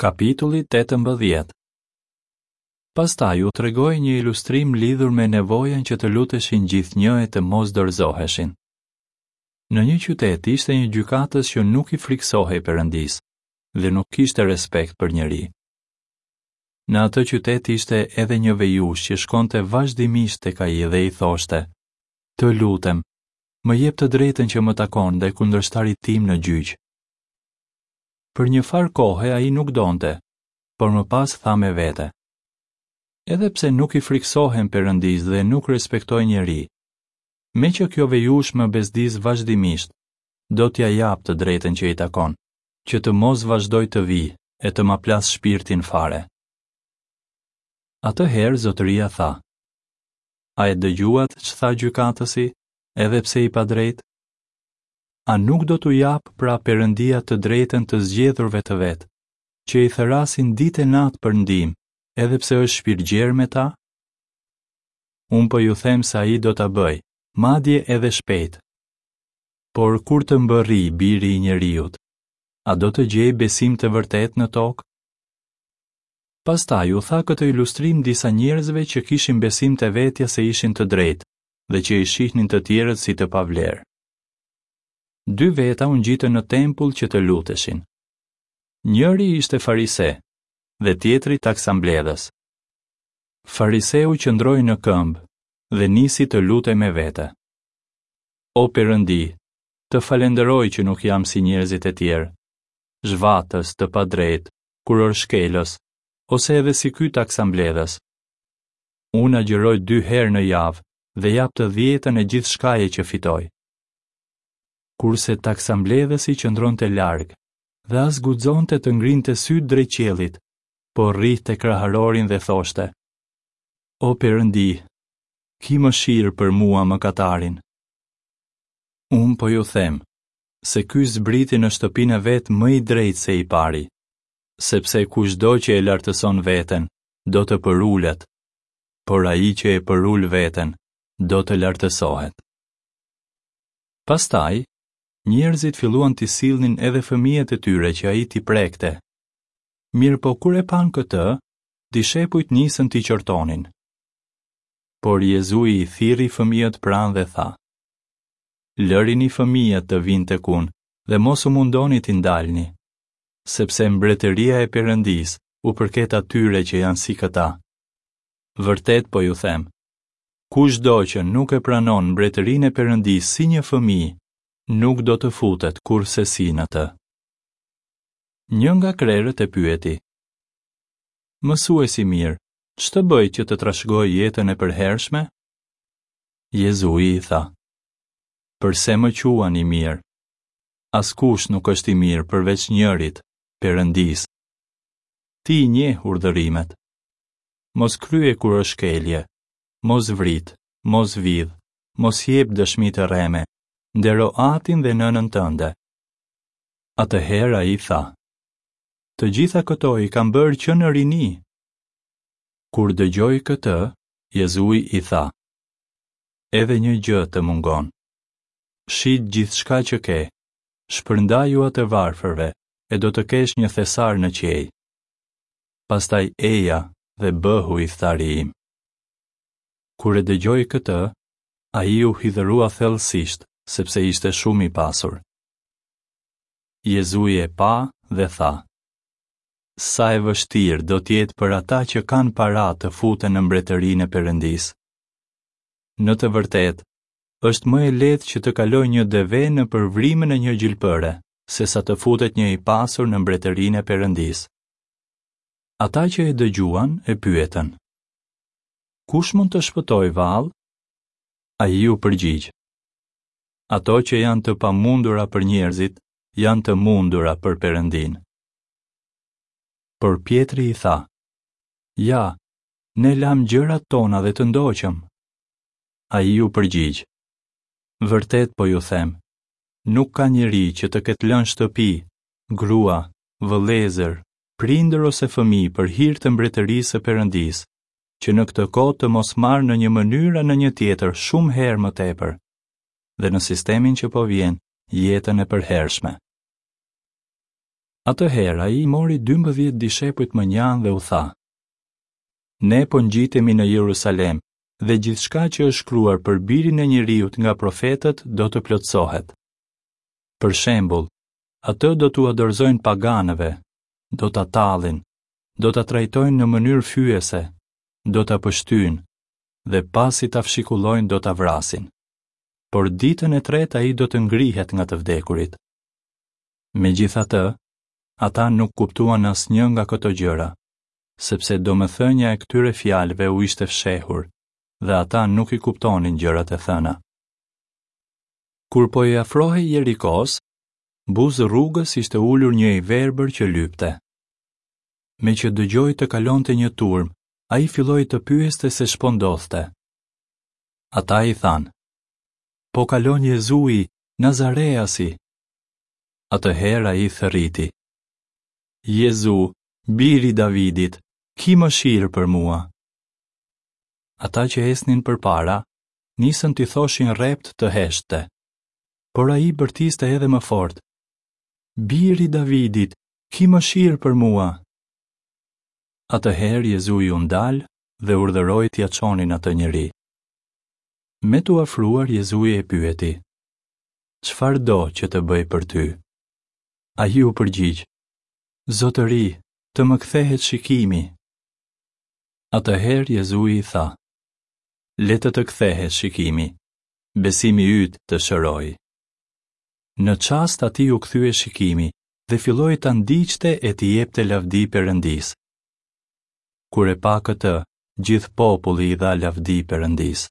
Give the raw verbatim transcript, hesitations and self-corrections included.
Kapitulli tetëmbëdhjetë. Pastaj u tregoi një ilustrim lidhur me nevojën që të luteshin gjithnjë e të mos dorëzoheshin. Në një qytet ishte një gjykatës që nuk i frikësohej Perëndisë dhe nuk kishte respekt për njeri. Në atë qytet ishte edhe një vejushë që shkonte vazhdimisht tek ai dhe i thoshte: "Të lutem, më jep të drejtën që më takon ndaj kundërshtarit tim në gjyq." Për një farë kohe ai nuk donte, por më pas tha me vete: Edhe pse nuk i frikësohem Perëndisë dhe nuk respektoj njeri, meqë kjo vejushë më bezdis vazhdimisht, do t'ia jap të drejtën që i takon, që të mos vazhdojë të vijë e të ma plasë shpirtin fare. Atëherë zotëria tha: A e dëgjuat ç'tha gjykatësi, edhe pse i padrejtë? A nuk do t'u japë pra Perëndia të drejtën të zgjedhurve të vet, që i thërrasin ditë e natë për ndihmë, edhe pse është shpirtgjerë me ta? Unë po ju them se ai do ta bëjë, madje edhe shpejt. Por kur të mbërrijë biri i njeriut, a do të gjejë besim të vërtetë në tokë? Pastaj u tha këtë ilustrim disa njerëzve që kishin besim te vetja se ishin të drejtë dhe që i shihnin të tjerët si të pavlerë. Dy veta u ngjitën në tempull që të luteshin. Njëri ishte farise dhe tjetri taksambledhës. Fariseu qëndroi në këmbë dhe nisi të lutej me vete. O Perëndi, të falenderoj që nuk jam si njerëzit e tjerë, zhvatës, të padrejtë, kurorëshkelës, ose edhe si ky taksambledhës. Unë agjëroj dy herë në javë dhe jap të dhjetën e gjithçkaje që fitoj. Kurse taksambledhësi qëndronte larg dhe as guxonte të ngrinte sytë drejt qiellit, por rrihte kraharorin dhe thoshte: O Perëndi, ki mëshirë për mua mëkatarin. Unë po ju them se ky zbriti në shtëpinë e vet më i drejtë se i pari, sepse kushdo që e lartëson veten, do të përulet, por ai që e përul veten, do të lartësohet. Pastaj, njerëzit filluan t'i sillnin edhe fëmijët e tyre që ai t'i prekte. Mirëpo kur e panë këtë, dishepujt nisën t'i qortonin. Por Jezui i thirri fëmijët pranë dhe tha: Lërini fëmijët të vinë tek unë dhe mos u mundoni t'i ndalni, sepse mbretëria e Perëndisë u përket atyre që janë si këta. Vërtet po ju them, kushdo që nuk e pranon mbretërinë e Perëndisë si një fëmijë, nuk do të futet kurrsesi në të. Një nga krerët e pyeti: Mësues i mirë, ç'të bëj që të trashëgoj jetën e përhershme? Jezui i tha: Përse më quan i mirë? Askush nuk është i mirë përveç njërit, Perëndisë. Ti i njeh urdhërimet. Mos krye kurorëshkelje, mos vrit, mos vidh, mos jep dëshmi të rreme, ndero atin dhe nënën tënde. Atëherë ai tha: Të gjitha këto i kam bërë që në rini. Kur dëgjoi këtë, Jezui i tha: Edhe një gjë të mungon. Shit gjithçka që ke, shpërndajua të varfërve, e do të kesh një thesar në qiej. Pastaj eja dhe bëhu ithari im. Kur e dëgjoi këtë, ai u hidhërua thellësisht, sepse ishte shumë i pasur. Jezui e pa dhe tha: Sa e vështirë do të jetë për ata që kanë para të futen në mbretërinë e Perëndisë. Në të vërtetë, është më e lehtë që të kalojë një deve nëpër vrimën e një gjilpëre, sesa të futet një i pasur në mbretërinë e Perëndisë. Ata që e dëgjuan e pyetën: Kush mund të shpëtojë vallë? Ai u përgjigj: Ato që janë të pamundura për njerëzit, janë të mundura për Perëndinë. Por Pjetri i tha: Ja, ne lamë gjërat tona dhe të ndoqëm. Ai u përgjigj: Vërtet po ju them, nuk ka njeri që të ketë lënë shtëpi, grua, vëllezër, prindër ose fëmijë për hir të mbretërisë së Perëndisë, që në këtë kohë të mos marrë në një mënyrë a në një tjetër shumë herë më tepër, dhe në sistemin që po vjen, jetën e përhershme. Atëherë ai mori dymbëdhjetë dishepujt mënjanë dhe u tha: Ne po ngjitemi në Jerusalem dhe gjithçka që është shkruar për birin e njeriut nga profetët do të plotësohet. Për shembull, atë do t'ua dorëzojnë paganëve, do ta tallin, do ta trajtojnë në mënyrë fyese, do ta pështyjnë dhe pasi ta fshikullojnë do ta vrasin. Por ditën e tretë ai do të ngrihet nga të vdekurit. Megjithatë, ata nuk kuptuan asnjë nga këto gjëra, sepse domethënia e këtyre fjalëve u ishte fshehur dhe ata nuk i kuptonin gjërat e thëna. Kur po i afrohej Jerikos, buzë rrugës ishte ulur një i verbër që lypte. Me që dëgjoi të kalonte një turmë, ai filloi të pyeste se ç'po ndodhte. Ata i thanë: Po kalon Jezui, Nazareasi. Atëherë ai thërriti: Jezu, biri i Davidit, ki mëshirë për mua. Ata që ecnin përpara, nisën t'i thoshin rrept të heshtte. Por ai bërtiste edhe më fort: Biri i Davidit, ki mëshirë për mua. Atëherë Jezui u ndal dhe urdhëroi t'ia çonin atë njeri. Me t'u afruar Jezui e pyeti: Çfarë do që të bëj për ty? Ai u përgjigj: Zotëri, të më kthehet shikimi. Atëherë Jezui i tha: Le të të kthehet shikimi, besimi yt të shëroi. Në çast atij u kthye shikimi dhe filloi ta ndiqte e t'i jepte lavdi Perëndisë. Kur e pa këtë, gjithë populli i dha lavdi Perëndisë.